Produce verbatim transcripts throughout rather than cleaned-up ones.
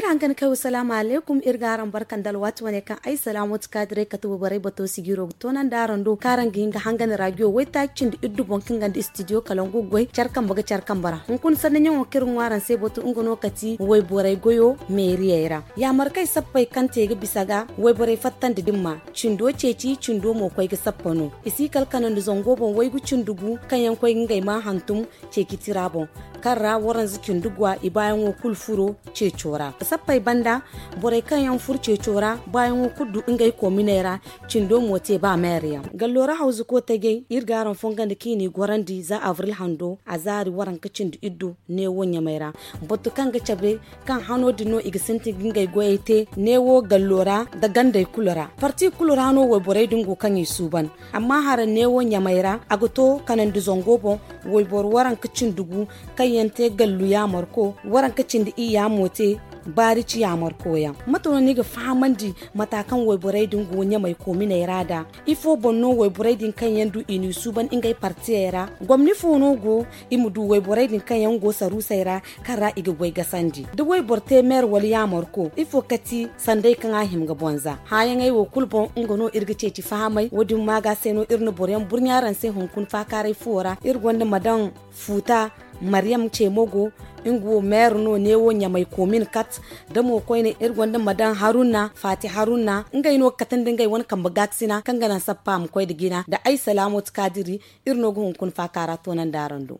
Hangan kay wa salaamu alaykum, iri ga araŋ barka nda alwaati wane kaŋ ay salaamu ti kaadirey kate wayborey bato sijiro ga toonandi araŋ do kaŋ araŋ ga hin ga hangan raajiyo waytaaci cindi iddu boŋ kaŋ ga nda istidiyo kalangu ga goy care kambe ga care kambe ra. Hunkuna sanni ɲaŋo kaŋ iri ga ŋwa araŋ se batu nga no kati wayborey goyo meeriyey ra. Yaamarkey sappey kaŋ te ga bisa ga wayborey fattandi dimma, cindo ceeci cindo mo koy ga sappa no. I si kala kanandi zango boŋ waygu cindi gu kaŋ yaŋ koy ga ngey maa hantum ceeci tira boŋ, kaŋ ra waranza cindi gwa i baayaŋo kulu furo ceeco ra. Sappey banda, borey kaŋ yaŋ furo ceeco ra baayaŋo kulu du ngey koominey ra. Cindo mo te ba meeri yaŋ gallo ra hawzuko tajey iri ga araŋ fongandi kaŋ i n'i gorandi za avril hando a zaari waranka cindi iddu neewo ɲamey ra. Batu kaŋ ga cabe kaŋ hano din no i ga sintin ga ngey goyey te neewo gallo ra nda gandey kulu ra. Parti kulu ra no wayborey din go kaŋ i suuban. Amma hara neewo ɲamey ra a ga to kanandi zango boŋ wayboro waranka cindi gu kaŋ yaŋ te gallu yaamarko waranka cindi iyya mo te baarici yaamarko yaŋ. Mate no ni ga fahamandi mata kaŋ wayborey din go ɲamey koominey ra da ifo boŋ no wayborey din kaŋ yaŋ du i n'i suuban ngey partiyey ra? Gomni fo no go i ma du wayborey din kaŋ yaŋ go saruusey ra kaŋ ra i ga goy gasandi da wayboro te meer wala yaamarko ifo kati sanday kaŋ a hima ga bonza hãayaŋey wo kulu boŋ nga no iri ga ceeci fahamay wo- din maaga se no iri na boro yaŋ burɲa araŋ se hunkuna faakaaray fuwo ra iri gonda ma daŋ fuuta maryam ceemo go nga wo meere no neewo ɲamay koomin kat da mo koyne iri gonda ma daŋ haruna faati haruna ngey no ga kate nda ngey wane kambe gaakasina kaŋ ga naŋ sappa a ma koy nda jina nda ay salaamot kaadiri. Iri no ga hunkuna faakaara toonandi araŋ do.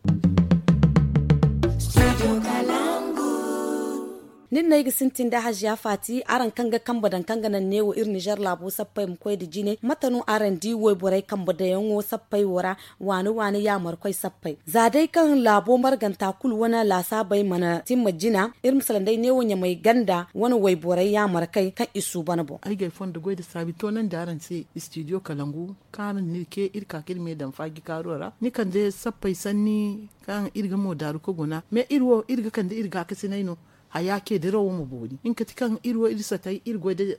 Nin no ay ga sintin da haziya faati araŋ kaŋ ga kambe daŋ kaŋ ga naŋ neewo iri nizer laabo sappey ma koy nda jine mate no araŋ di wayborey kambe daŋyaŋo sappey wo ra? Waani waani yaamarkoy sappey za day kaŋ laabo marganta kulu wane laasaabey mana timma jina iri ma salaŋ day neewo ɲamey ganda wane wayborey yaamarkey kaŋ i suuban boŋ. Ay ga ay fondo goy nda saabi toonandi araŋ se istidiyo kalangu kaŋ araŋ na iri ce iri ka ka iri me daŋ faajikaaro ra ni kande sappey sanni kaŋ iri ga moodaaru ka guna mais iri wo iri ga kande iri gaakasinay no. Haya ce dirawo ma boori nga kati kaŋ iri wo iri satay iri goy nda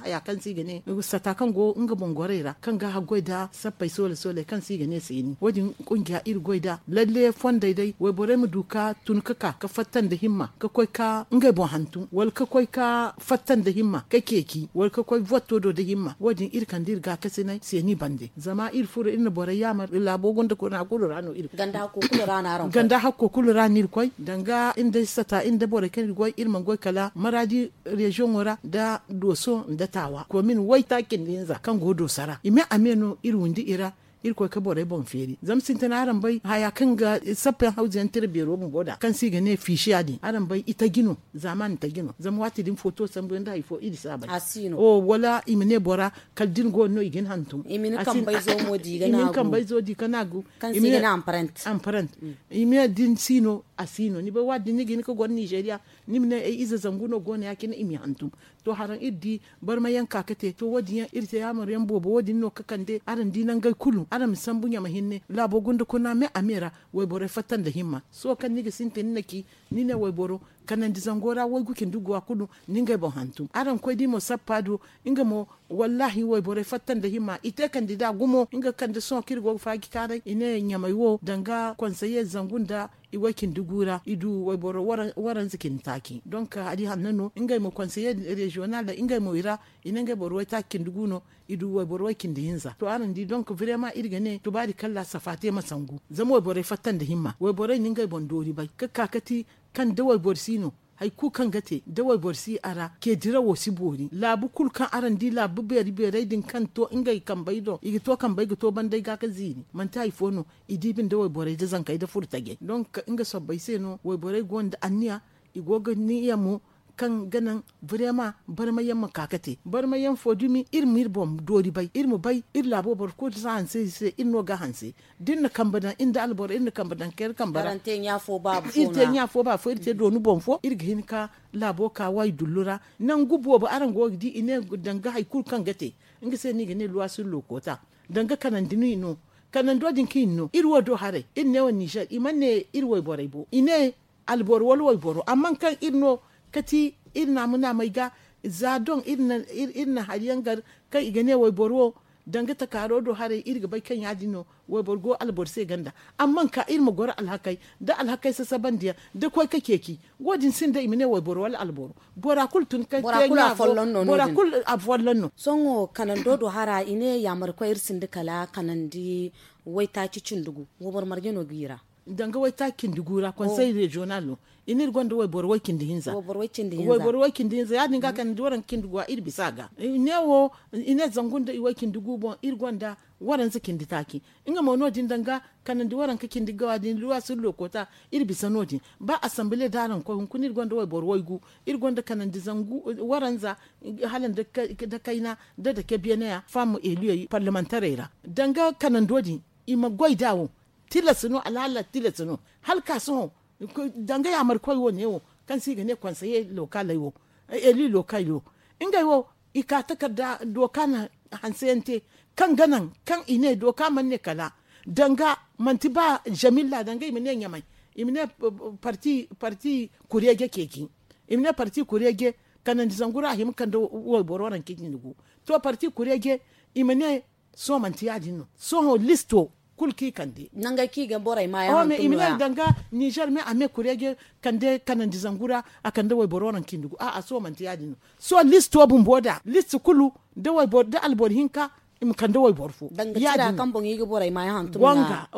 haya kaŋ se i ga ne sata kaŋ go nga boŋ gorey ra kaŋ ga haggoy nda sappey soole soole kaŋ se i ga ne seeni wo- din kungiya iri goy nda lalle fondey day wayborey ma du ka tun ka ka ka fatta nda himma ka koy ka ngey boŋ hantum wala ka koy ka fatta nda himma ka ceeci wala ka koy votto do nda himma wo- din iri kande iri gaakasinay seeni bande zama iri furo iri na borey yaamar laabo gonda kuna kulu ra no iri ganda hakko kulu ra no araŋ koy ganda hakko kulu ra no iri koy danga iri nda sata iri nda borey kaŋ iri goy iri mana goy kala maraadi reziyoŋo ra nda dooso nda taawa komin waytaaci nda hinza kaŋ go dooso ra i me a me no iri windi i ra. Iri koy ka borey boŋ feeri zama sintina araŋ bay haya kaŋ ga sappa yaŋ hawzu yaŋ tira beero bumbo da kaŋ se i ga ne fiisiya din araŋ bay i taji no. Zaamaani taji no zama waati din footo sambu yaŋ nda hari fo iri si a bay wala i ma ne bora kala da ni go no i ga ni hantum i ma ni kambayzo di ka naagu kaŋ se i ga ne amparant i ma ne da ni si no a si no ni bay waati din ni ga hin ka goro nizeeriya ni ma ne ay ize zangu no go no ya- cine i m'i hantum. To haraŋ iri di barma yaŋ ka ga te to wo- din yaŋ iri te yaamar yaŋ boobo wo- din no ga kande araŋ di nangey kulu araŋ ma sambu ɲama hinne laabo gunda kuna me a me ra. Wayborey fatta nda himma sohõ kaŋ ni ga sintin ni na ci ni ne wayboro kanandi zango ra waygu cindi gu a kulu ni ngey boŋ hantum araŋ koy di mo sappa do nga mo. Wallaahi wayborey fatta nda himma i te kandida gumo nga kande sohõ kaŋ iri go ga faaji kaaray i ne ɲamey wo danga konseye zangu nda i way cindi gu ra i du wayboro waranza cindi taaci donk hari hanno no ngey mo konseye reziyonal ra ngey mo i ra i ne ngey boro waytaaci cindi gu no. I du wayboro way cindi hinza to araŋ di donk vrema iri ga ne tubaari kalla safa te ma sangu zama wayborey fatta nda himma wayborey na ngey boŋ doori bay ka ka kati kaŋ da wayboro si no hari kulu kaŋ ga te da wayboro si a ra ce dirawo si boori laabu kulu kaŋ araŋ di laabu beeri beerey din kaŋ to ngey kambey do i ga to kambey ga to bandey ga ka ziiri manti hari fo no. I di binde wayborey da zankey da furo tajey donk nga sobbey se no wayborey go nda anniya i go ga niya mo kaŋ ga naŋ vrema barma yaŋ ma ka ga te barma yaŋ fo dumi iri ma iri boŋ doori bay iri ma bay iri laabo boro kulu si hanse iri se iri no ga hanse da iri na kambe daŋ iri nda alboro iri na kambe daŋ ka iri kambe ra iri te ɲa fo ba fo iri te dooni boŋ fo iri ga hin ka laabo ka waydullu ra. Nangu boobo araŋ go ga di i ne danga hari kulu kaŋ ga te nga se no i ga ne luwa sur lokoota danga kanandi no i no. Kanando din kaŋ i na no iri wo do haray iri ne wo nizer i mana ne iri wayborey bo i ne alboro wala wayboro amma kaŋ iri no kati iri naamu naamey ga za doŋ iri na hari yaŋ gar kaŋ i ga ne wayboro wo Danga takaaro do haray iri ga bay kaŋ ya- din no wayboro go alboro se ganda. Amma ka iri ma goro alhakey da alhakey sasabandiyaŋ da koy ka ceeci. Wo- din sinda i ma ne wayboro wala alboro. Bora kulu tun ka te ɲaago. Bora kulu afolloŋ no. Sohõ kanando do hara i ne yaamarkoy iri sinda kala kanandi waytaaci cindi gu. Wayboro marje no g'i ra? Danga waytaaci cindi gu ra konsey reziyonal no. I ne iri gonda wayboro way- cindi hinza. Wayboro way- cindi hinza ya- din ga kanandi waranka cindi gu a iri bisa a ga. I ne wo i ne zangu nda i way- cindi gu boŋ iri gonda waranza cindi taaci. Nga mo no- din danga kanandi waranka cindi ga wa- din luwa sirlo koota. Iri bisa no- din ba assambile da araŋ koy hunkuna iri gonda wayboro waygu. Iri gonda kanandi zangu waranza hala nda kayna nda dake beene ya fam eliyey parlamentarey ra. Danga kanando din i ma goy da wo. Tilas no alhaala tilas no hala ka sohõ. Danga yaamarkoy wo ne wo kaŋ se i ga ne konseye lokaley wo eli lokaley wo ngey wo i ka takarda dooka na hanseyaŋ te kaŋ ga naŋ kaŋ i ne dooka mana ne kala danga manti ba zamilla danga i ma ne ɲamay i ma ne parti parti kureeje ceeci. I ma ne parti kureeje kanandi zangu ra a hima kande wayboro ranka cindi gu. To parti kureeje i ma ne sohõ manti ya- din no sohõ listo kulu kaŋ i kande. Nangey kaŋ i ga borey maayaŋ i ma ne danga nizer me a me kureeje kande kanandi zangu ra a kande wayboro ranka cindi gu a'a sohõ manti ya- din no. Sohõ listo bumbo da listi kulu da alboro hinka i ma kande wayboro fo. Danga cira kaŋ boŋ i ga borey maayaŋ hantum ga.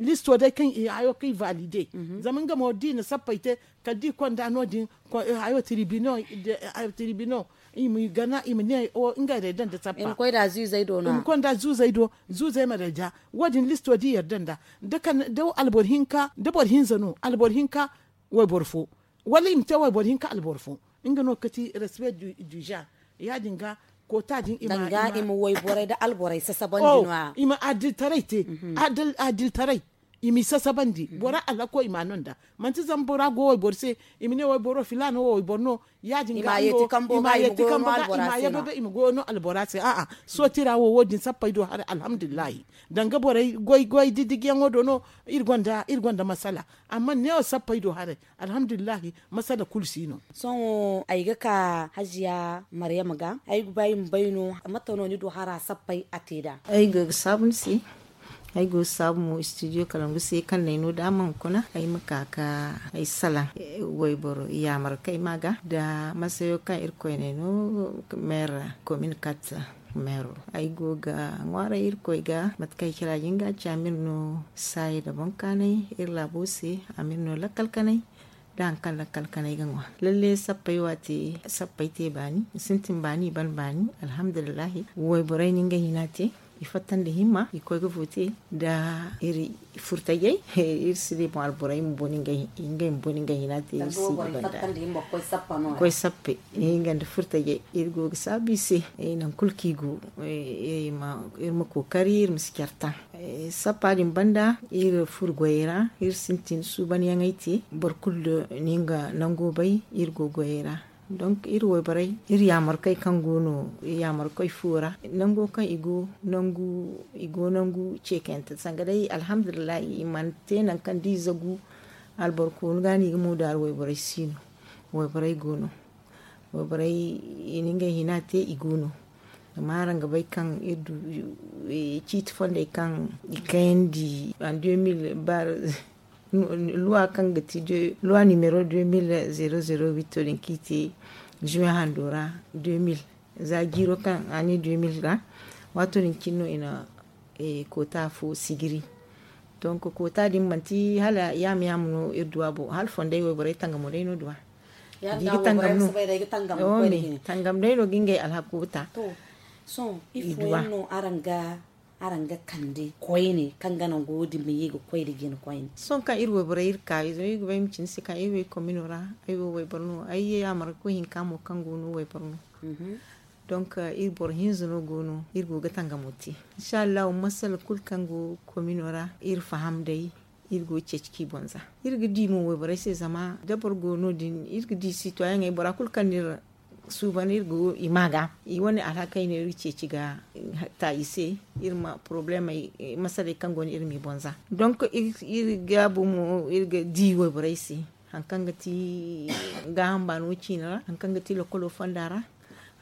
Listo day kaŋ i hayo kaŋ i valide zama nga mo da i na sappey te kala da i konda no- din hayo tiribino i ma gana i ma ne ngey day daŋ da sappa i ma konda zuuzey do zuuzey ma day da wo- din listo da i yarda nda da alboro hinka da boro hinza no alboro hinka wayboro fo wala i ma te wayboro hinka alboro fo. Nga no kati respe du genre ya- din ga koota din i ma wayborey da alborey sasabandi no- ya i ma adiltaray te adiltaray i m'i sasabandi bora alhako i ma no nda manti zama bora go wayboro se i ma ne wayboro filaana wo wayboro no ya- din ga i ma yeeti kambo ga i ma goyo no albora se a'a sooti ra wo wo- din sappey do haray alhamdulillahi danga borey goy goy didijiyaŋo do no iri gonda masala amma neewo sappey do haray alhamdulillahi masala kulu si no. Sohõ ay ga ka hajiya maryama ga ay ga ba i ma bay no mate no ni du hara sappey a te nd'a? Ay go ga saabu ni se ay go ga saabu mo studio kalangu se kaŋ no ay no da a mana kuna ay ma ka ga ay salaŋ wayboro yaamar kaŋ ay ma ga nda masayo kaŋ irkoy no ay no meer komin kat meero ay go ga ŋwaaray irkoy ga mate kaŋ ay cira jinga ci a ma iri no saaya nda boŋ kaanay iri laabo se a ma iri no lakkal kanay da hari kaŋ lakkal kanay ga ŋwa lalle sappey waati sappey te baani i sintin baani i ban baani alhamdulillahi wayborey na ngey hina te i fatta nda himma i koy ga vote nda iri furtajey iri si di boŋ alborey ma boni ngey ma boni ngey hina te iri si ga banda koy sappe nga nda furtajey iri go ga saabu i se nangu kulu kaŋ i go iri ma kookari iri ma si care taŋ sappa din banda iri furo goyey ra iri sintin suubanyaŋey te boro kulu da ni nga nango bay iri go goyey ra donk iri wayborey iri yaamarkoy kaŋ go no yaamarkoy fo ra nango kaŋ i go nangu i go nangu ceekayante sanga day alhamdulillahi i mana te nangu kaŋ da i zagu alboro koonu ga no i ga moodaari wayborey si no wayborey go no wayborey i na ngey hina te i go no zama araŋ ga bay kaŋ iri du ciiti fondey kaŋ i kayandi en deux mille ba luwa kaŋ ga ti luwa nimero deux mille zero zero huit din kaŋ i te juin hando ra deux mille za jiiro kaŋ année deux mille ra waato din cine no i na koota fo sijiri donk koota din manti hala yaama yaama no iri duwa bo hala fondey wayborey tangamo day no duwa tangam day no ga ngey alhako ta sohõ ifo yaŋ no araŋ ga kande koyne kaŋ ga naŋ go din ma ye ga koy nda jina koyne sohõ kaŋ iri wayborey iri ka zama iri ga bay ma ci ni se kaŋ iri way komino ra ay wo wayboro no ay yaamar ga koy hinka mo kaŋ go no wayboro no donk iri boro hinza no go no iri go ga tangamo te inshallahu masala kulu kaŋ go komino ra iri faham day iri go ga ceeci kaŋ i boŋ za iri ga di mo wayborey se zama da boro go no- din iri ga di sitoyaŋey bora kulu kaŋ no iri suuban iri go i ma ga i wane alhakey no iri ga ceeci ga ta i se iri ma porobulemey masaley kaŋ go no iri m'i boŋ za donk iri ga bu mo iri ga di wayborey se hari kaŋ ga ti gaaham baano ciine ra hari kaŋ ga ti lokolo fonda ra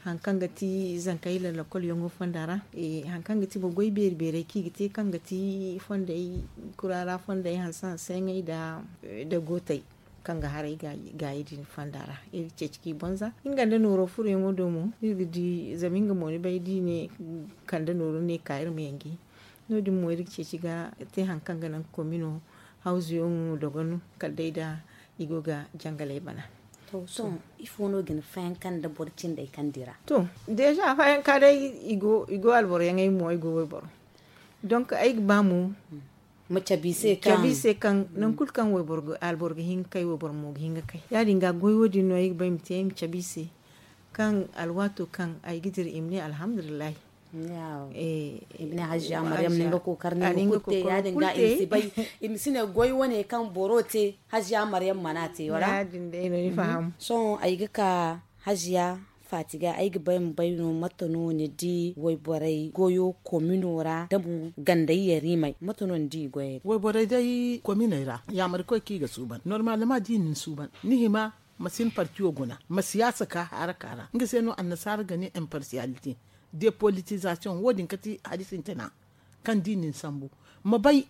Hari kaŋ ga ti zankey lallakolyaŋo fonda ra, hari kaŋ ga ti mo goy beeri beerey kaŋ i ga te kaŋ ga ti fondey, kuraara fondey hanse hanseyaŋey nda gootey kaŋ ga haray gaayi din fonda ra. Iri ga ceeci kaŋ i boŋ za nga nda nooro furoyaŋo do mo iri ga di zama nga mo ni bay da i ne kande nooro ne ka iri ma yaŋ ga hin. No- din mo iri ga ceeci ga te hari kaŋ ga naŋ komino hawzuyaŋo dogon kala day da i go ga jangaley bana. Sohõ ifo no ga ni fayanka nda boro cindey kaŋ dira? To, deeza fayanka day i go alboroyaŋey mo ay go wayboro. Donk ay ga ba mo ma cabe i se kaŋ nangu kulu kaŋ alboro ga hin ga kay wayboro mo ga hin ga kay ya- din ga goy wo- din no ay ga ba ay ma te ay ma cabe i se kaŋ alwaato kaŋ ay ga dira i ma ne alhamdulillahi. I ma ne hajiya maryam na nga kookari na nga kulu te ya- din ga i ma si bay i ma si ne goy wane kaŋ boro te hajiya maryam mana te wala? Sohõ ay ga ka hajiya faati ga ay ga bay ma bay no mate no ni di wayborey goyo komino ra da mo gandey yariimey mate no ni di i goyey ra? Wayborey day kominey ra yaamari koy kaŋ i ga suuban normalement da i na ni suuban ni hima ma si ni partiyo guna ma siyaasa ka haaraka ra nga se no annasaara ga ne impartialité, depolitisation wo- din kati hari sintina kaŋ da i na ni sambu ma bay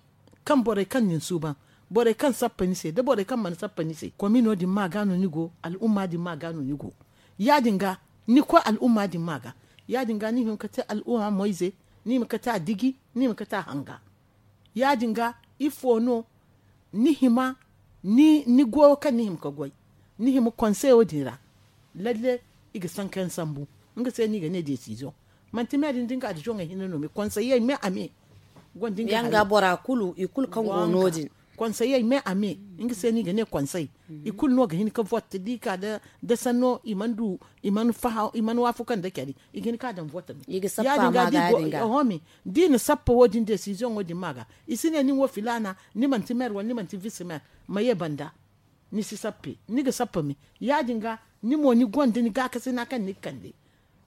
kaŋ borey kaŋ na ni suuban, borey kaŋ sappa ni se da borey kaŋ mana sappa ni se komino din ma ga no ni go al'umma din ma ga no ni go. Ya- din ga ni koy al'umma din ma ga ya- din ga ni hima ga te al'umma moyze, ni hima ga te a diji, ni hima ga te a hanga. Ya- din ga ifo no ni hima ni goyo kaŋ ni hima ga goy ni hima konseyo din ra. Lalle i ga sanka yaŋ sambu nga se no i ga ne desiziyoŋ. Manti me din da nga addizoŋey hinne no me konseyey me a me. Gonda nga hari bora kulu i kulu kaŋ go no- din konseyey me a me. Nga se no i ga ne konsey i kulu no ga hin ga votte da i ka da sanno i mana du i mana waafakan da care i ga hin ga ka daŋ votte me. Ya- din ga da i na sappa wo- din desiziyoŋo din ma ga i si ne nin wo filaana ni manti meer wala ni manti visi meer ma ye banda. Ni si sappe ni ga sappe me. Ya- din ga ni mo ni gonda ni gaakasina kaŋ ni ga kande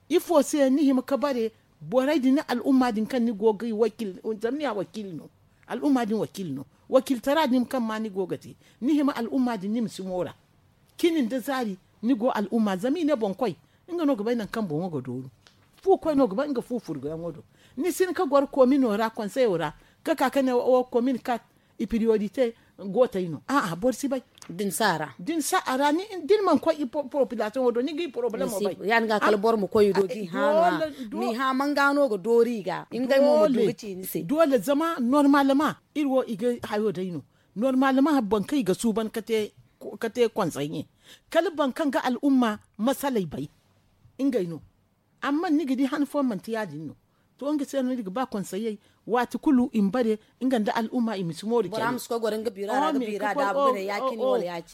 ifo se ni hima ga bare borey din ni al'umma din kaŋ ni go ga i wakil zama ni a wakil no. Al'umma din wakil no wakiltara din kaŋ ma ni go ga te ni hima al'umma din ni ma si moora. Cini nda zaari ni go al'umma zama i ne boŋ koy nga no ga bay nangu kaŋ boŋo ga dooru. Fu koy no ga bay nga fu furguyaŋo do ni si hin ga goro komino ra konseyo ra ga ka ga ne wo komin kat i priorite gootey no a'a boro si bay. Da ni si a ra da ni mana koy i popilasiyoŋo do ni ga i porobalemo bay. Ya- din ga kala boro ma koy i do ga i hã no a ma i hã manga no ga doori i ga ngey mo ma du ga ci ni se. Doole zama normalement iri wo i ga hayo day no normalement boro kaŋ i ga suuban ga te konsey ɲe kala boro kaŋ ga al'umma masaley bay. Ngey no amma ni ga di han fooyaŋ manti ya- din no. To nga se no ni ga ba konseyey waati kulu i ma bare nga nda al'umma i ma si mooru care.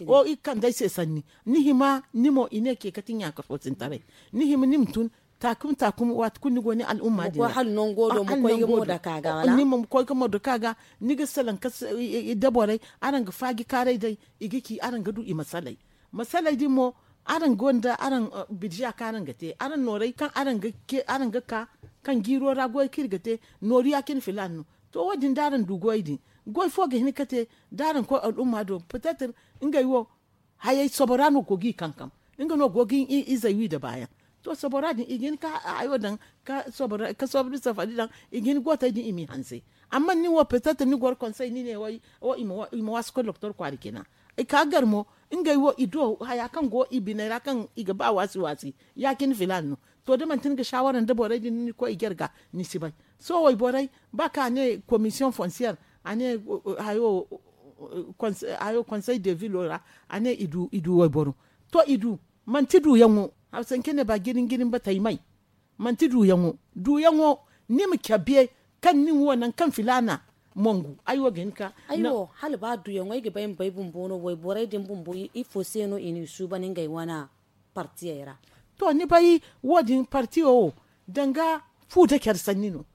O i ga kande ay se sanni ni hima ni mo i ne ke kati ɲaaka fo sintaray. Ni hima ni ma tun taakum taakum waati kulu ni go ni al'umma din ra. Ni ma koy ga moro dake a ga ni ga salaŋ ka da borey araŋ ga faaji kaaray day i ga ci araŋ ga du i masaley. Masaley din mo araŋ gonda araŋ birza kaŋ araŋ ga te araŋ noorey kaŋ araŋ ga ka kaŋ jiiro ra goy kaŋ iri ga te nooru ya- cine filaana no. To wo- din da araŋ du goy din goy fo ga hin ga te da araŋ koy al'umma do petetre ngey wo hayey sobora no go ga i kankam. Nga no go ga izey wi nda baayaŋ. To sobora din i ga hin ka hayo daŋ ka sobora ka sobora safari daŋ i ga hin gootey din i m'i hanse. Amma nin wo petetre ni goro konsey ni ne way i ma waasu koy doktor kwaara cina. I ka gar mo ngey wo i du haya kaŋ go i biney ra kaŋ i ga ba waasi waasi ya- cine filaana no. To da manti ni ga saawara nda borey din ni koy i gar ga ni si bay. Sohõ wayborey ba kaŋ a ne komisiyoŋ fonsiyer a ne hayo konsey de vilo ra a ne i du wayboro. To i du manti duuyaŋo hawsa hinka ne ba jirin jirin batey may. Manti duuyaŋo duuyaŋo ni ma cabe kaŋ nin wo nangu kaŋ filaana mongu ay wo ga hin ka. Ay wo hala ba duuyaŋo ay ga bay ma bay bumbo no wayborey din bumbo ifo se no i n'i suuban ngey wane partiyey ra? To ni bay wo- din partiyo wo danga fu nda care sanni no.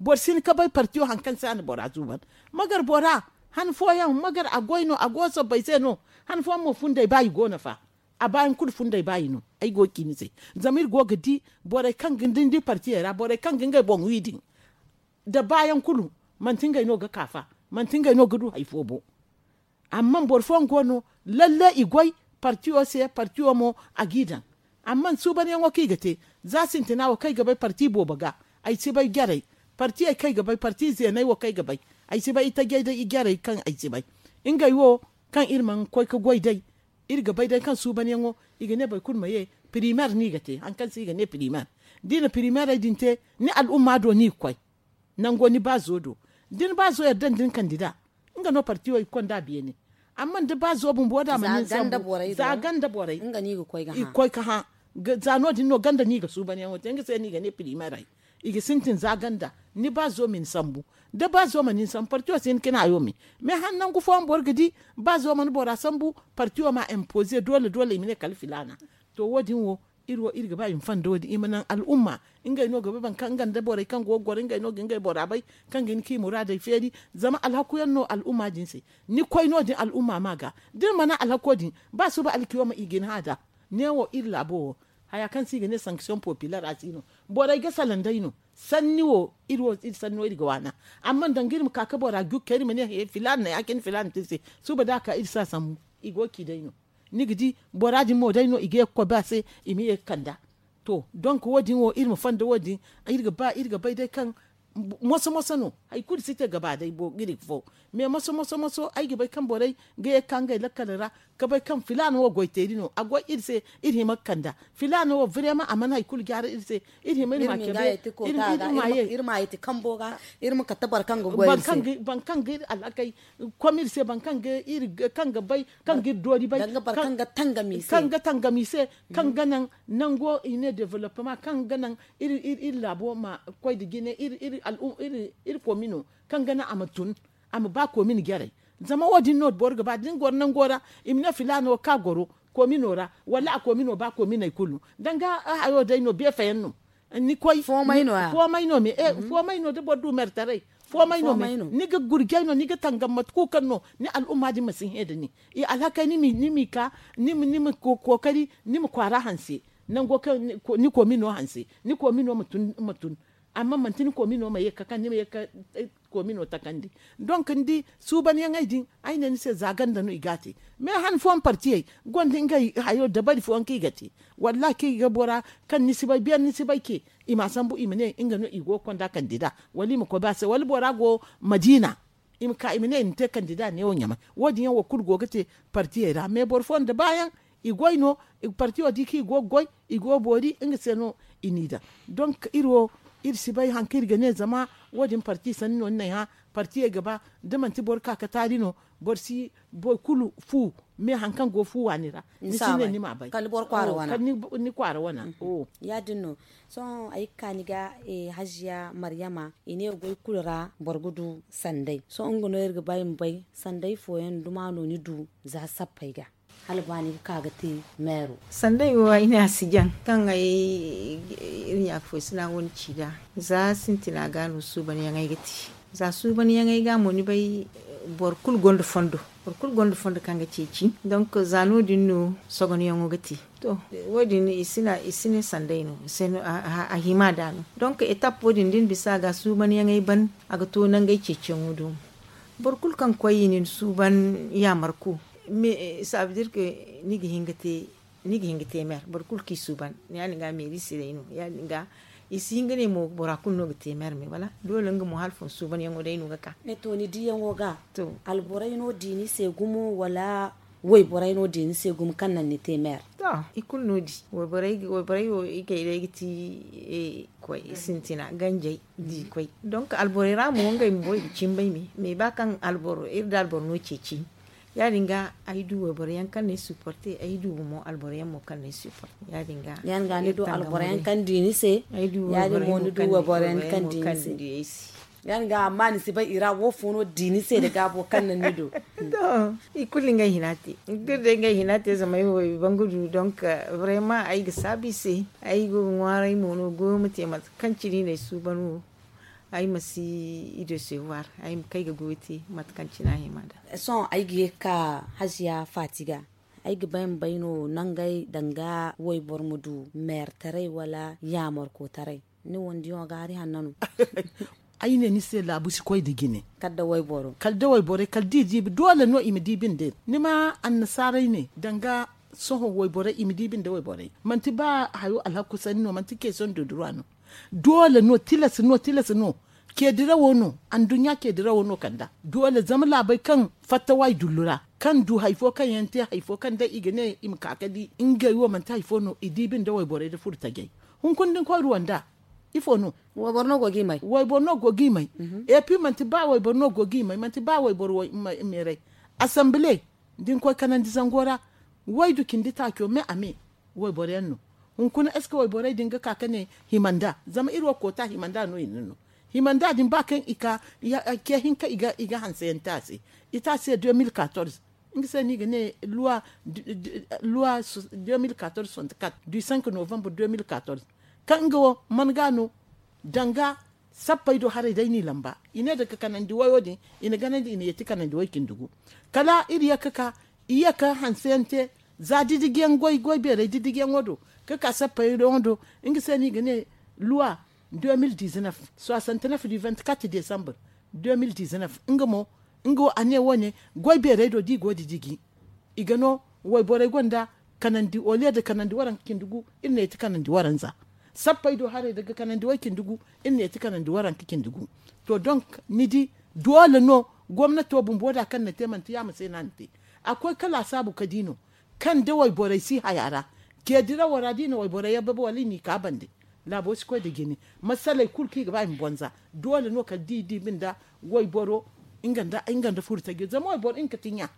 Boro si hin ka bay partiyo hari kaŋ se a na bora suuban. Magar bora han fooyaŋ magar a goy no a go sabbay se no. Han fooyaŋ mo fundey ba i go no fa. A baayaŋ kulu fundey ba i no. Ay go ga ci ni se zama iri go ga di borey kaŋ ga ni di partiyey ra borey kaŋ ga ngey boŋ wi din da baayaŋ kulu manti ngey no ga ka fa. Manti ngey no ga du hari fo bo. Amma boro fooyaŋ go no lalle i goy partiyo se partiyo mo a g'i daŋ. Amma suubanyaŋo kaŋ i ga te, za sintina wo kaŋ ay ga bay parti boobo ga, ay si bay jarey. Partiyey kaŋ ay ga bay parti zeeney wo kaŋ ay ga bay, ay si bay itajey day jarey kaŋ ay si bay. Ngey wo kaŋ iri mana koy ga goy day, iri ga bay day kaŋ suubanyaŋo, i ga ne boro kulu ma ye. Pirimeer no i ga te, hari kaŋ se i ga ne pirimeer. Da i na pirimeerey din te, ni al'umma do no i ga koy. Nango ni baazo do, da ni baazo yadda nda ni kandida, nga no partiyo i ga konda beene. Amma da baazo bumbo da a ma nin sambu za ganda borey, i ga koy ga hã. Za no- din no ganda no i ga suubanyaŋo te nga se no i ga ne pirimeerey. I ga sintin za ganda, ni baazo ma ni sambu. Da baazo ma ni sambu partiyo si hin ka ni hayo me. Mais han nangu fooyaŋ boro ga di, baazo mana bora sambu, partiyo ma impoze doole doole i ma ne kala filaana. To wo- din wo, iri wo iri ga ba i ma fanda wo- din i ma naŋ al'umma. Ngey no ga ba boro kaŋ nga nda borey kaŋ go ga goro ngey no ga ngey bora bay, kaŋ ga hin ka i muraadey feeri. Zama alhaku yaŋ no al'umma din se. Ni koy no- din al'umma ma ga, da ni mana alhako din, ba suba alkiyoma i ga ni hã nd'a. Ne wo iri laabo wo, haya kaŋ se i ga ne sanction populaire a si no. Borey ga salaŋ day no. Sanni wo, iri wo iri sanno iri ga waana. Amma danga iri ma ka ga bora jukka iri ma ne he filaana na ya- cine filaana te iri se. Suba da a ka iri si a sambu, i go ga ci day no. Ni ga di, bora din mo day no i ga ye ga koy ba se, i ma ye ga kand'a. To, donk wo- din wo iri ma fanda wo- din, iri ga bay day kaŋ moso moso no. Hari kulu si te gaba day ga iri ga fo. Mais moso moso moso ay ga bay kaŋ borey ga ye ga ka ngey lakkal ra, ga bay kaŋ filaana wo goy teeri no a goy iri se. Iri hima ga kand'a filaana wo vrema a mana hari kulu jaara iri se. Iri hima iri ma a cabe. Iri ma ye ti kambo ga. Iri ma kate boro kaŋ ga goy iri se. Boro kaŋ ga iri alhakey kom iri se boro kaŋ ga iri kaŋ ga bay, kaŋ ga iri doori bay, kaŋ ga tangam i se, kaŋ ga naŋ nango i ne development kaŋ ga naŋ iri laabo ma koy nda jine. Iri komino kaŋ ga naŋ a ma tun, a ma ba komino jarey. Zama wo- din no boro ga ba da ni goro nango ra, i ma ne filaana wo kaŋ a goro komino ra, wala a komino ba kominey kulu. Danga hayo day no beefa yaŋ no. Ni koy foomay no me foomay no da boro du meertaray. Foomay no me ni ga gurjay no ni ga tangam mate kulu kaŋ no ni al'umma din ma si hẽ nda ni. I alhakey ni m'i ka ni ma kookari ni ma kwaara hanse. Nango kaŋ ni koomino hanse ni koomino ma tun. Amma manti ni koomino ma ye ga ka kaŋ ni ma ye ga ka koomino takandi. Donk ni di suubanyaŋey din ay ne ni se za ganda no i ga a te. Mais han fooyaŋ partiyey gonda ngey hayo dabari fooyaŋ kaŋ i ga te. Wallahi kaŋ i ga bora kaŋ ni si bay beene ni si bay ce, i m'a sambu i ma ne nga no i go ga konda kandida wala i ma koy ba se wala bora go madiina, i ma ka i ma ne i na te kandida neewo ɲamay. Wo- din yaŋ wo kulu go ga te partiyey ra mais boro fooyaŋ nda baayaŋ i goy no. Partiyo di kaŋ i go ga goy i go ga boori nga se no i n'i daŋ. Donk iri wo iri si bay hari kaŋ iri ga ne zama wo- din parti sanni no ni n'ay hã. Partiyey ga ba da manti boro ka ga taari no boro si boro kulu fu. Mais hari kaŋ go fu waani ra ni si ne ni m'a bay. Kala ni kwaara wana. Ya- din no. Sohõ ay ga ka ni ga haziya maryama i ne goy kulu ra boro ga du sanday sohõ nga no iri ga ba i ma bay sanday fooyaŋ duma no ni du za sappey ga hala ba ni ga ka ga te meero. Sanday wo ay ne a si jaŋ kaŋ ay iri ɲaaka foy sina wane ci nd'a. Za sintina ga no suubanyaŋey ga te. Za suubanyaŋey ga mo ni bay boro kulu gonda fondo. Boro kulu gonda fondo kaŋ ga ceeci donk za no- din no sogonyaŋo ga te. To, wo- din i si ne sanday no a hima nd'a no. Donk etap wo- din da ni bisa a ga suubanyaŋey ban a ga to nangey ceeciyaŋo do mo. Boro kulu kaŋ koy i na ni suuban yaamarko. Saabdir ke ni ga hin ga te meer boro kulu kaŋ i suuban ya- din ga meeri si day no ya- din ga. I si hin ga ne mo bora kulu no ga te meer me wala doole nga mo hala fun suubanyaŋo day no ga ka. To ni diyaŋo ga alborey no di ni se gumo wala wayborey no di ni se gumo kaŋ naŋ ni te meer? To, i kulu no di wayborey wo i kay day ga ti koy sintina ganjey di koy. Donk alborey ra mo ngey bumbo i ga cimbay me. Mais ba kaŋ alboro iri da alboro no ceeci ya- din ga ay du wayboro yaŋ kaŋ no ay supporte ay du mo alboro yaŋ mo kaŋ no ay supporte ya- din ga. Ya- din ga ni du alboro yaŋ kaŋ di ni se ya- din mo ni du wayboro yaŋ kaŋ di ni se. Ya- din ga amma ni si bay i ra wo fo no di ni se da gaabo kaŋ naŋ ni du. To, i kulu ngey hina te i kulu day ngey hina te zama ay wo i bangu du donk vraiment ay ga saabu i se. Ay go ga ŋwaaray mo no goyo ma te mate kaŋ cine i na ay suuban wo. Ay ma si i desevoir ay ma kay ga goyo te mate kaŋ cine a hima nd'a. Sohõ ay ga ye ga ka haziya faati ga ay ga bay ma bay no nangey danga wayboro ma du meertaray wala yaamarkotaray? Ni wandiyaŋo ga hari hanna no. Ay ne ni se laabu si koy nda jine. Kala da wayborey kala da i diibi doole no i ma diibi nda iri ni ma annasaaray ne danga sohõ wayborey i ma diibi nda wayborey manti ba hayo alhaku sanni no manti keeson dodurwa no. Doole no tilas no tilas no. Keedirawo no anduɲɲa keedirawo no kanda doole zama laabey kaŋ fatta waay dullu ra kaŋ du hari fo kaŋ yaŋ te hari fo kaŋ day i ga ne i ma ka ga di ngey wo manti hari fo no i diibi nda wayborey nda furo tajey. Hunkuna da ni koy ruwanda ifo no? Wayboro no go ga i may. Epi manti ba wayboro no go ga i may manti ba wayboro meeray. Asambile da ni koy kanandi zango ra waydu cindi taaco me a me. Wayboro yaŋ no hunkuna eske wayborey din ga ka ka ne himanda zama iri wo koota himanda no i na no. Himanda din ba kaŋ i ka ce hinka i ga hanse yaŋ te a se. I te a se deux mille quatorze nga se no i ga ne luwa deux mille quatorze soixante-quatre du cinq novembre deux mille quatorze. Kaŋ nga wo man ga no danga sappey do haray day no i lamba i ne daga kanandi wayo din i na ganandi i na yeeti kanandi way cindi gu. Kala iri ye ga ka i ye ga hanse yaŋ te za didiji yaŋ goy goy beeray didiji yaŋo do ga ka sappey yaŋo do. Nga se no i ga ne luwa deux mille dix-neuf soixante-neuf du vingt-quatre décembre deux mille dix-neuf nga mo nga wo a ne wo- ne goy beeray do da i go didiji i ga no wayborey gonda kanandi oliye da kanandi waranka cindi gu iri na yeeti kanandi waranza. Sappey do haray daga kanandi way cindi gu iri na yeeti kanandi waranka cindi gu. To donk ni di doole no gomnato bumbo da kaŋ na te manti yaama se no a na te. A koy kala a saabu ka di no kaŋ da wayborey si haya ra. Ceedirawo ra da i na wayborey yabba ba wala i n'i ka bande laabo si koy nda jine. Masaley kulu kaŋ i ga ba i ma bonza doole no kala da i diibi nda wayboro nga nda furo tajo zama wayboro nga ga ti ɲa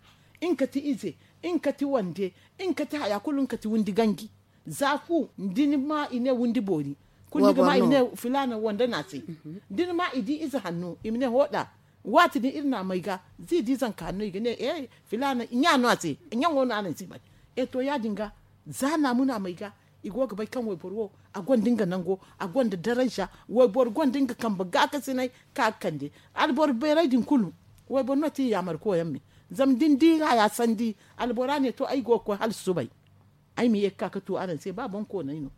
nga ga ti ize nga ga ti wande nga ga ti haya kulu nga ga ti windi ganji. Za fu da ni ma i ne windi boori kulu ni ga ma i ne filaana wande no a se. Da ni ma i di ize hanno i ma ne hooda. Waati din iri na a may ga za i di zanka hanno i ga ne filaana ɲa no a se. Ɲaŋo no araŋ si bay. E to ya- din ga za naamu no a may ga i go ga bay kaŋ wayboro wo a gonda nga nango a gonda daranja. Wayboro gonda nga kambe gaakasinay kaŋ a ga kande alboro beeray din kulu. Wayboro no ti i yaamarko yaŋ me zama da ni di haya sandi albora ne to ay go ga koy hala subay. Ay ma ye ga ka ga tu araŋ se ba boŋ koonay no.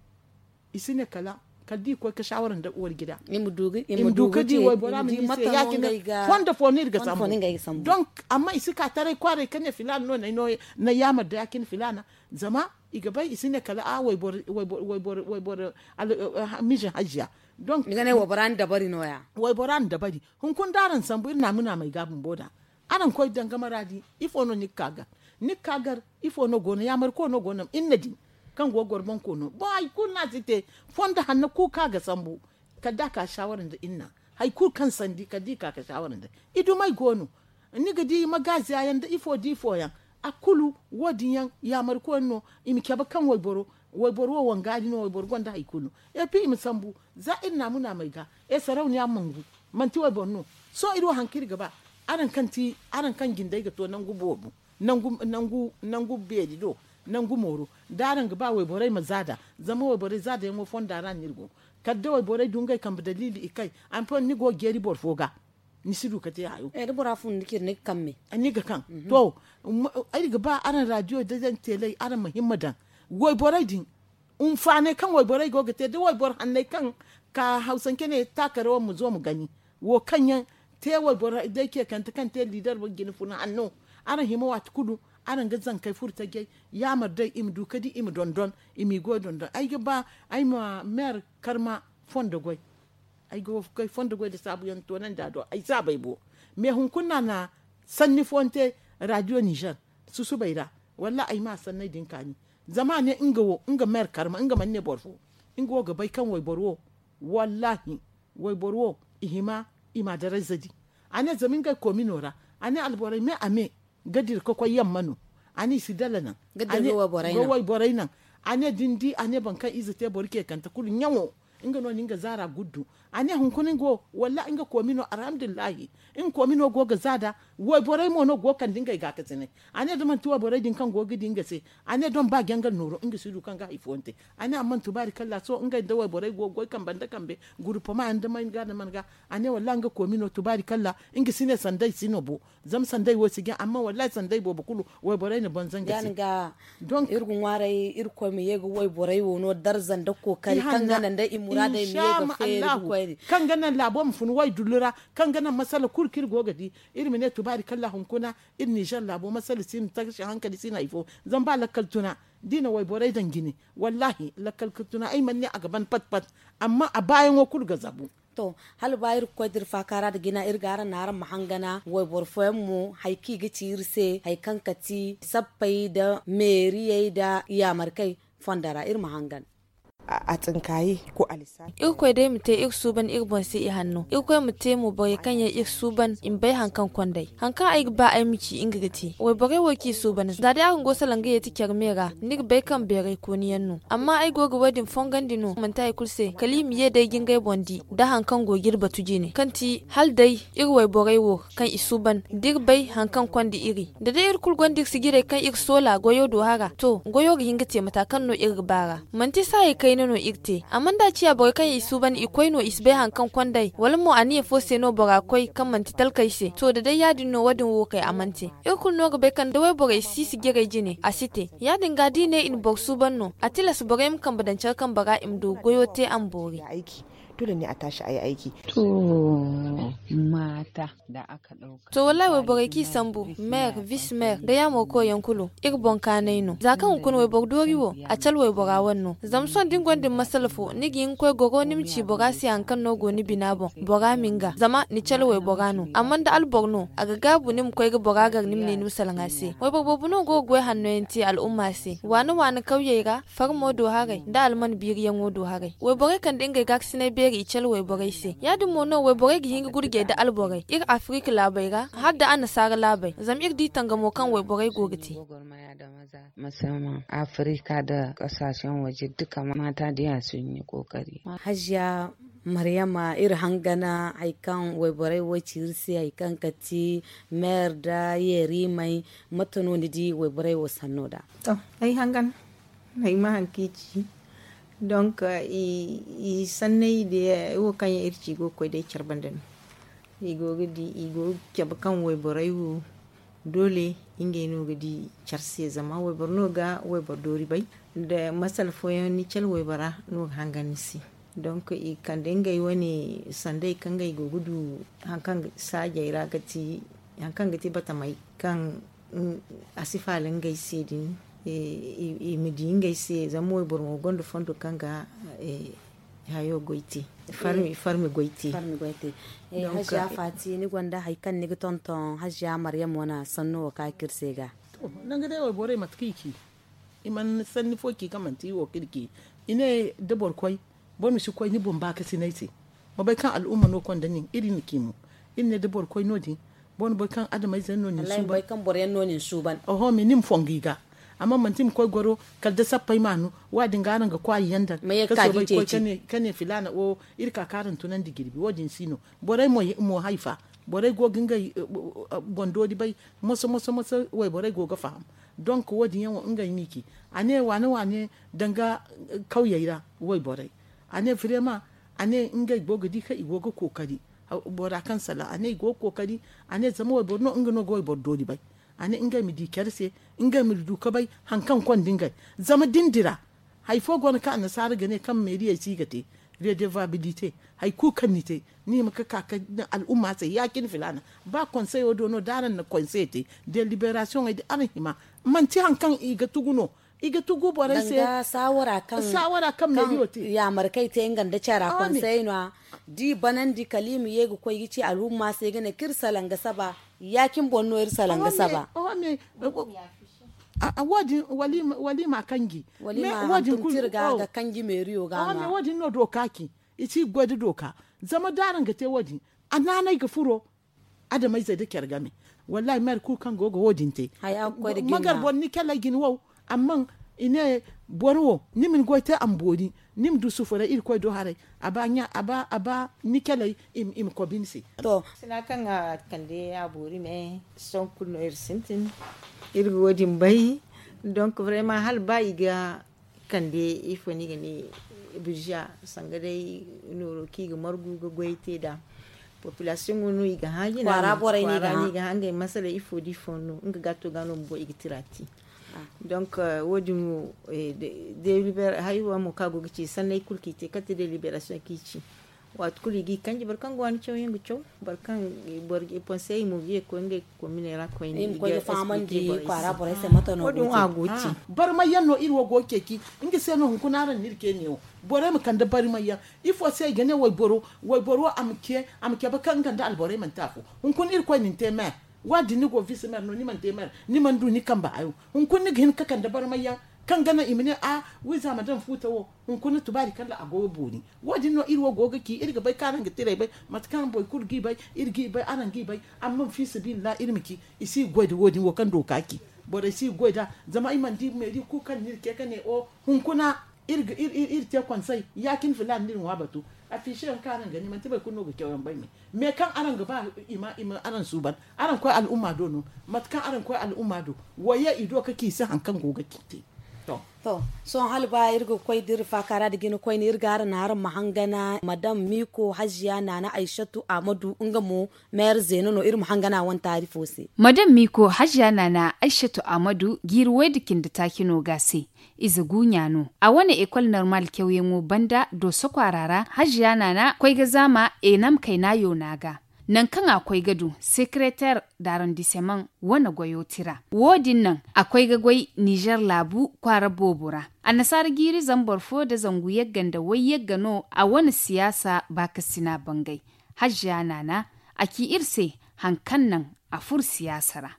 I si ne kala kala da i koy ga shawara nda warjida i ma du ga di waybora ma ne i se ya- cine fondo fo no iri ga sambu. Donk amma i si ka taray kwaaray ga ne filaana no na ay yaamar da ya- cine filaana. Zama i ga bay i si ne kala a wayboro mize hajiya. Donk i ga ne waybora na dabari no- ya. Waybora na dabari hunkuna da araŋ sambu iri na a muna may ga bumbo da araŋ koy danga maraadi. Ifo no ni ga ka gar ni ga ka gar? Ifo no go no yaamar ko no go no iri na di kaŋ go ga goro boŋ ko no boŋ hari kulu no a si te. Fondo hanno kulu kaŋ a ga sambu kala da a ka shawara nda iri na hari kulu kaŋ sandi kala da i ka ga shawara nda i dumey go no. Ni ga di magaaziya yaŋ nda ifo da ifo yaŋ a kulu wo- din yaŋ yaamar ko yaŋ no. I ma cabe kaŋ wayboro wayboro wo wangaari no wayboro gonda hari kulu. Epi i ma sambu za iri na a muna may ga e sarauniya mangu manti wayboro no. Sohõ iri wo hari kaŋ iri ga ba araŋ kaŋ ti araŋ kaŋ jindey ga to nangu boobo nangu beeri do nangu mooro da araŋ ga ba wayborey ma zaada. Zama wayborey zaada yaŋo fonda ra no iri go kala da wayborey du ngey kambe daliili i kay. Amma ni go ga jeeri boro fo ga ni si du ga te hayo. Ni ga kaŋ to iri ga ba araŋ raadiyo da daŋ teeley araŋ ma himma daŋ wayborey din. Hinfaanay kaŋ wayborey go ga te da wayboro hanney kaŋ ka hawsance ne taakare wo ma zo ma gani wo kaŋ yaŋ te wayboro day ceekante kaŋ te liidar jine funa hanno. Araŋ hima waati kulu araŋ ga zankey furo tajey yaamar day i ma du ga di i ma dondon i m'i goy dondon ay ga ba ay ma meer karma fondo goy. Ay ga wo ga koy fondo goy nda saabuyaŋ toonandi a do ay si a bay bo. Mais hunkuna no a na sanni fooyaŋ te raadiyo nizer susubay ra. Wallaahi ay ma a sanney din kaani. Zama a ne nga wo nga meer karma nga mana ne boro fo. Nga wo ga bay kaŋ wayboro wo wallaahi wayboro wo i hima i m'a darayza di. A ne zama ngey koomino ra a ne alborey me a me ga dira ga koy yamma no. A ne i si dala naŋ ga wayborey naŋ. A ne da ni di a ne boro kaŋ ize te boro ceekante kulu ɲaŋo nga no na nga zaara guddu. A ne hunkuna nga wo wallaahi nga koomino alhamdulillahi nga koomino go ga zaada. Wayborey mo no go ga kande ngey gaakasinay. A ne da manti wayborey din kaŋ go ga di nga se a ne da ni ba jangal nooro nga si du kaŋ ga hari fooyaŋ te. A ne amma tubaari kalla sohõ ngey nda wayborey go ga goy kambe nda kambe guruppama yaŋ nda man ga nda man ga. A ne wallaahi nga koomino tubaari kalla nga si ne sanda i si no bo. Zama sanday wo si jaŋ amma wallaahi sanday boobo kulu wayborey na boŋ zanga se. Donk iri ga ŋwaaray irkoy ma ye ga wayborey wo no darza nda kookari kaŋ ga naŋ day i muraadey ma ye ga feeri ga koy. Kaŋ ga naŋ laabo ma fun way dullu ra, kaŋ ga naŋ masala kulu kaŋ iri go ga di. Iri ma ne tubaari kalla hunkuna, iri nizer laabo masala si no taga se hankali si no hari fo. Zama ba lakkal tuna, da i na wayborey daŋ jine, wallaahi lakkal ga tuna ay mana ne a ga ban pat pat. Amma a baayaŋo kulu ga zabu. To, hala ba iri ga koy da iri faakaara nda jina iri ga araŋ naŋ araŋ ma hangana wayboro fooyaŋ mo hari kaŋ i ga ci iri se hari kaŋ kati sappey nda meeriyey nda yaamarkey, fondo ra iri ma hangan. A tsinkayi ko alisa. Irkoy day ma te iri suuban iri boŋ se ihanno irkoy ma te mo borey kaŋ yaŋ iri suuban i ma bay hari kaŋ kond'ey. Hari kaŋ ay ga ba ay ma ci nga ga te wayborey wo kaŋ i suuban za day araŋ go salaŋ ga yeeti care me ra, ni ga bay kaŋ beeray kooni yaŋ no. Amma ay go ga wo- din fongandi no manti hari kulu se kala i ma ye day ga ngey boŋ di nda hari kaŋ go ga iri batu jine kaŋ ti hala day iri wayborey wo kaŋ i suuban da iri bay hari kaŋ konda iri. Da day iri kulu gonda iri sijirey kaŋ iri soola goyo do hara to goyo ga hin ga te mata kaŋ no iri ga ba ra. Manti saayey kayna no iri te amma da a ciya borey kaŋ i suuban i koy no i si bay hari kaŋ kond'ey wala mo aniya fo se no bora koy kaŋ manti talkey se to da day ya- din no wo- din wo kay a mana te. Iri kulu no ga bay kaŋ da wayborey si sijirey jine a si te. Ya- din ga da i ne i na boro suuban no a tilas borey ma kambe daŋ care kambe ra i ma du goyo te a ma boori. Dole ne a taasi ay aiki. To, mata da aka dauka. To wallahi wayborey kaŋ i sambu, maire, vice maire, da yaamo koyaŋ kulu iri boŋ kaanay no za kaŋ hunkuna wayboro doori wo, a cala waybora wane no. Zama sohõ da ni gonda ni masala fo ni ga hin ga koy goro ni ma ci bora se hari kaŋ no go ni bina boŋ bora ma nga zama ni cala waybora no amma da alboro no a ga gaabu ni ma koy ga bora gar ni ma ne ni ma salaŋ a se. Wayboro boobo no go ga goy hanno yaŋ te al'umma se waana waana kawyey ra, farmo do haray nda alman biiriyaŋo do haray wayborey kande ngey gaakasinay beeri i cala wayborey se ya- din mo no wayborey ga hin ga gurjey nda alborey iri afirika laabey ra hala nda annasaara laabey zama iri di tangamo kaŋ wayborey go ga te. Musamman afirika nda kasaashen waje duka mata diya sun yi kokari. Hajiya maryama iri hangana hari kaŋ wayborey wo ci iri se hari kaŋ kati meer nda yeerimey, mate no ni di wayborey wo sanno nd'a? To, ay hangan ay ma hari kaŋ i ci. Donk i sanney day wo kaŋ yaŋ iri ci i go ga koy day care banda no. I go ga di i go ga cabe kaŋ wayborey wo doole ngey no ga di care se zama wayboro no ga wayboro doori bay. Nda masala fooyaŋ ni cale waybora no ga hangan ni se. Donk i kande ngey wane sanday kaŋ ngey go ga du hari kaŋ saajey ra ga ti hari kaŋ ga ti batamey kaŋ a si faala ngey se din. I ma di ngey se zama wayboro mo gonda fondo kaŋ ga hayo goy te. Farmi goy te. Hajiya faati ni gonda hari kaŋ ni ga tonton hajiya maryam wane sanno wo kaŋ a kaŋ iri se ga. Nangu day wayborey mate kaŋ i ci i mana sanni fo ci kaŋ manti i wo kaŋ iri ci i ne da boro koy boro ma si koy ni boŋ baakasinay se. Ma bay kaŋ al'umma no konda nin iri na ci mo. Iri ne da boro koy no- din boro na bay kaŋ adamayze yaŋ no nin suuban. Oho me ni ma fongu i ga. Amma manti i ma koy goro kala da sappey maanu. Wa- din ga araŋ ga kwaayi yaŋ daŋ ka soobay ga koy ka ne filaana wo iri ka kaŋ araŋ tunandi jirbi wo- din si no. Borey mo haifa borey go ga ngey boŋ doori bay. Moso moso moso wayborey go ga faham. Donk wo- din yaŋ wo ngey no i ci a ne waane waane danga kawyey ra wayborey. A ne vraiment a ne ngey go ga di kaŋ i go ga kookari. Bora kaŋ salaŋ a ne i go ga kookari. A ne zama wayboro no nga no ga wayboro doori bay. A ne ngey ma di care se ngey ma du ka bay hari kaŋ konda ngey. Zama da ni dira hari fo go no kaŋ annasaara ga ne kaŋ meeriyey si ga te redevabilite. Hari kulu kaŋ ni te ni hima ga ka ka al'umma se ya- cine filaana. Ba konseyo do no da araŋ na konse te deliberasiyoŋey da araŋ hima manti hari kaŋ i ga tugu no. I ga tugu borey se saawara kaŋ meeriyo te. Yaamarkey te nga nda cara konsey no a da i banandi kala i ma ye ga koy ga ci al'umma se ga ne kaŋ iri salaŋ ga saba. Ya- cine boŋ no iri salaŋ ga saba. Wo- din wala i ma kanji. Wo- din no dooka ci i si ga goy nda dooka. Zama da araŋ ga te wo- din a naanay ga furo. Adamayzey nda care game. Wallaahi maire kulu kaŋ go ga wo- din te. Magar boro ni caley jine wow. Amma i ne boro wo ni ma ni goy te a ma boori. Ni ma du sufuray irkoy do haray. A ba ɲa a ba a ba ni caley i ma kobi ni se. To, sina kaŋ a kande a boori me sohõ kulu no iri sintin. Iri ga wo- din bay. Donk vraiment hala ba i ga kande ifo no i ga ne birza sanga day nooro kaŋ i ga margu ga goy te nd'a. Populasiyoŋo no i ga hã jina kwaara no i ga hã ngey masala ifo da ifo no nga gaato ga no bumbo i ga tira te. Donk wo- din wo deliber haywa mo kaŋ a go ga ci sanney kulu kaŋ i te kala te deliberasiyoŋ kaŋ i ci. Waati kulu i g'i kanji boro kaŋ go ga ni caw yaŋ ga caw, boro kaŋ boro ga i panse i mo ga ye ga koy ngey kominey ra koyne i ma koy ga fahamandi kwaara borey se mate no go ga te. Barmay yaŋ no iri wo go ga ceeci. Nga se no hunkuna araŋ na iri ce neewo, borey ma kande barmay yaŋ. Ifo se i ga ne wayboro wayboro a ma ce a ma cabe kaŋ nga nda alborey manti afo. Hunkuna irkoy na ni te meer. Wa- din ni go ga bisa meer no ni mana te meer, ni mana du ni kambe hayo. Hunkuna ni ga hin ga kande barmay yaŋ kaŋ ga naŋ i ma ne a wiiza ma daŋ fuuta wo. Hunkuna tubaari kala a go ga boori. Wo- din no iri wo go ga ci iri ga bay kaŋ araŋ ga tiray bay, mate kaŋ boro kulu g'i bay, iri g'i bay araŋ g'i bay. Amma fiisabilillahi iri ma ci i si ga goy nda wo- din wo kaŋ dooka ci. Borey si ga goy nd'a. Zama ay mana di meeri kulu kaŋ no iri ce ka ne o hunkuna iri te konsey ya- cine filaana no iri ŋwa batu. Afiise yaŋ kaŋ araŋ ga ne manti boro kulu no ga caw yaŋ bay me. Me kaŋ araŋ ga ba i ma araŋ suuban, araŋ koy al'umma do no. Mate kaŋ araŋ koy al'umma do, wo ye i do ka ci i se hari kaŋ go ga ci te. To, sohõ hala ba iri ga koy da iri faaka ra nda jina koyne iri ga araŋ naŋ araŋ ma hangana madam miiko haziya naana aysatu ahmadu nga mo, meer zeena no iri ma hangana wane taari fo se. Madam miiko haziya naana aysatu ahmadu jiiri way nda cindi taaci no ga a se. Ize guuɲa no a wane ekol normal cawyaŋo banda dooso kwaara ra haziya naana koy ga zaama enam kayna yoona ga. Nangu kaŋ a koy ga du sekereter darandiseman wane goyo tira. Wo- din naŋ a koy ga goy nizer laabu kwaara boobo ra. Annasaara jiiri zambar fo nda zangu yagga nda way yagga no a wane siyaasa baakasina bangay. Haziya naana a ci iri se hari kaŋ naŋ a furo siyaasa ra.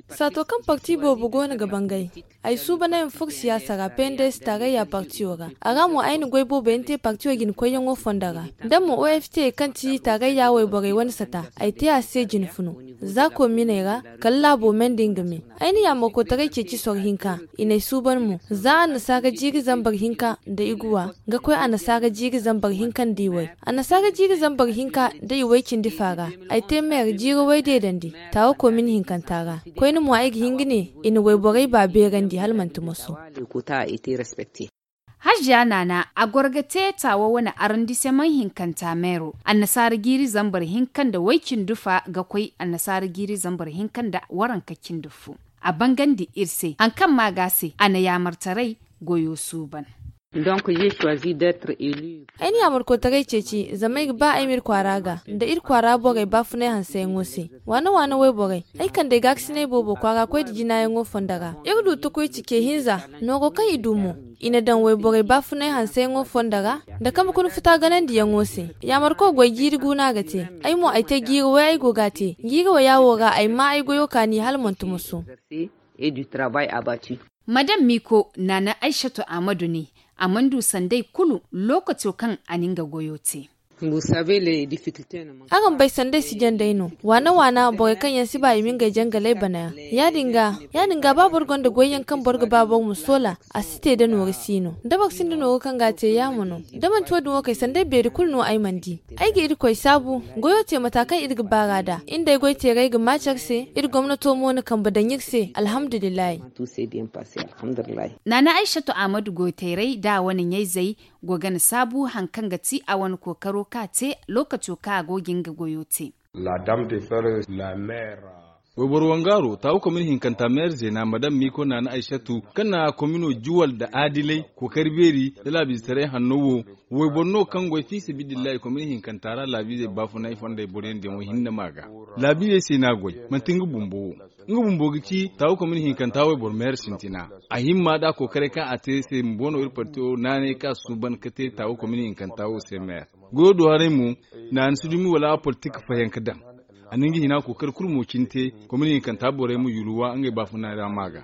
Saato kaŋ parti boobo go no ga bangay, ay suubanay ma furo siyaasa ra pendes taarayya partiyo ra. A ra mo ay na goy boobo yaŋ te partiyo jina koyyaŋo fondo ra. Da mo oft kaŋ ti taarayya wayborey wane sata, ay te a se jina funu. Za kominey ra kala laabo me nda nga me. Ay na yaamarkotaray ceeci soro hinka. I n'ay suuban mo za annasaara jiiri zambar hinka nda iguwa ga koy annasaara jiiri zambar hinka nda iway. Annasaara jiiri zambar hinka nda iway cindi fa ra, ay te meer jiiri way deedandi taawa komin hinkanta ra. Koyne mo ay ga hin ga ne, i na wayborey ba beerandi hala manti moso. Haziya naana a goro ga te taawa wane arandiseman hinkanta meero. Annasaara jiiri zambar hinka nda way cindi fa ga koy annasaara jiiri zambar hinka nda waranka cindi fu. A bangandi iri se hari kaŋ ma ga a se a na yaamartaray goyo suuban. Ay na yaamarkotaray ceeci zama ay ga ba ay ma iri kwaara ga nda iri kwaara borey baafunay hanseyaŋo se. Waana waana wayborey, ay kand'ey gaakasinay boobo kwaara koy nda jinaayaŋo fondo ra. Iri du tukuy cike hinza nooro kaŋ i du mo, i na daŋ wayborey baafunay hanseyaŋo fondo ra nda kambe kuna futa ganandiyaŋo se. Yaamarko goy jiiri guuna ga te. Ay mo ay te jiiri way ay go ga a te. Jiiri waya wo ra ay ma ay goyo kaani hala manti moso. Madam miiko naana aysatu ahmadu ne a mana du sanday kulu lookaco kaŋ a na nga goyo te. Araŋ bay sanday si janday no. Waana waana borey kaŋ yaŋ si ba i ma ngey jangaley bana yaŋ. Ya- din ga ba boro gonda goy yaŋ kaŋ boro ga ba boro ma soola, a si te da nooru si no da boro sinda nooru kaŋ ga a te yaamo no. Da manti wo- din wo kay sanday beeri kulu no ay mana di. Ay ga irkoy saabu goyo te mata kaŋ iri ga baar'a nd'a. Iri nd'ay goy teeray ga maaci iri se. Iri gomnato mo na kambe daŋ iri se alhamdulillahi. Naana aysatu ahmadu goytayray nda a wane ɲayzey go ga na saabu hari kaŋ ga ti a wane kookaro kaŋ a te lookaco kaŋ a go ga nga goyo te. Wayboro wangaaro taawu komini hinkanta meer zeena madam miiko naana aysatu kaŋ na komino juwal nda aadilay kookari beeri nda laabiizetaray hanno wo. Wayboro no kaŋ goy fiisabilillahi komini hinkanta ra laabiizey baafunay fondey boroyaŋ diyaŋo hinne ma ga. Laabiizey se no a goy manti nga bumbo wo. Nga bumbo ga ci taawu komini hinkanta wayboro meer sintina. A himma nd'a kookaray kaŋ a te se bumbo no iri partiyo naanay kaŋ a suuban ga te taawu komini hinkanta wo se meer. Goyo do haray mo, naana si dumi wala a politik fayanka daŋ. A na nga hina kookari kulu mo cine te komini hinkanta borey ma yulwa ngey baafunay ra ma ga.